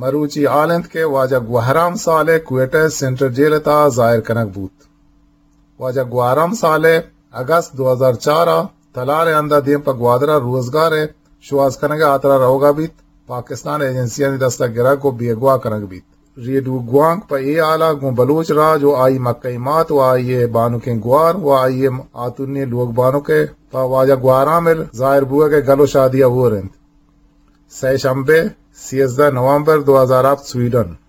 مروچی حال انت کہ واجہ گوہرام صالح کوئٹہ سینٹرل جیل ءِ تہا ظاہر کنگ بوت۔ واجہ گوہرام صالح اگست دو ہزار چار ءَ تلار ءِ ہند ءَ دیم پہ گوادر ءَ روزگار ءِ شوہاز کنگ ءِ ہاترا روگ ءَ بیت، پاکستان ایجنسیانی دست ءَ گرگ ءُ بیگواہ کنگ بیت۔ ریڈیو گوانک پہ اے حال ءَ گوں بلوچ راج ءُ آئی مکئی مات ءُ آئی ءِ بانکیں گوار ءُ آئی ءِ آتونی لوگ بانک ءِ پہ واجہ گوہرام ءِ ظاہر بوگ ءِ گل ءُ شادی ءَ ہور انت۔ سئے شمبے، سیزدہ نومبر دو ہزار ہفت، سویڈن۔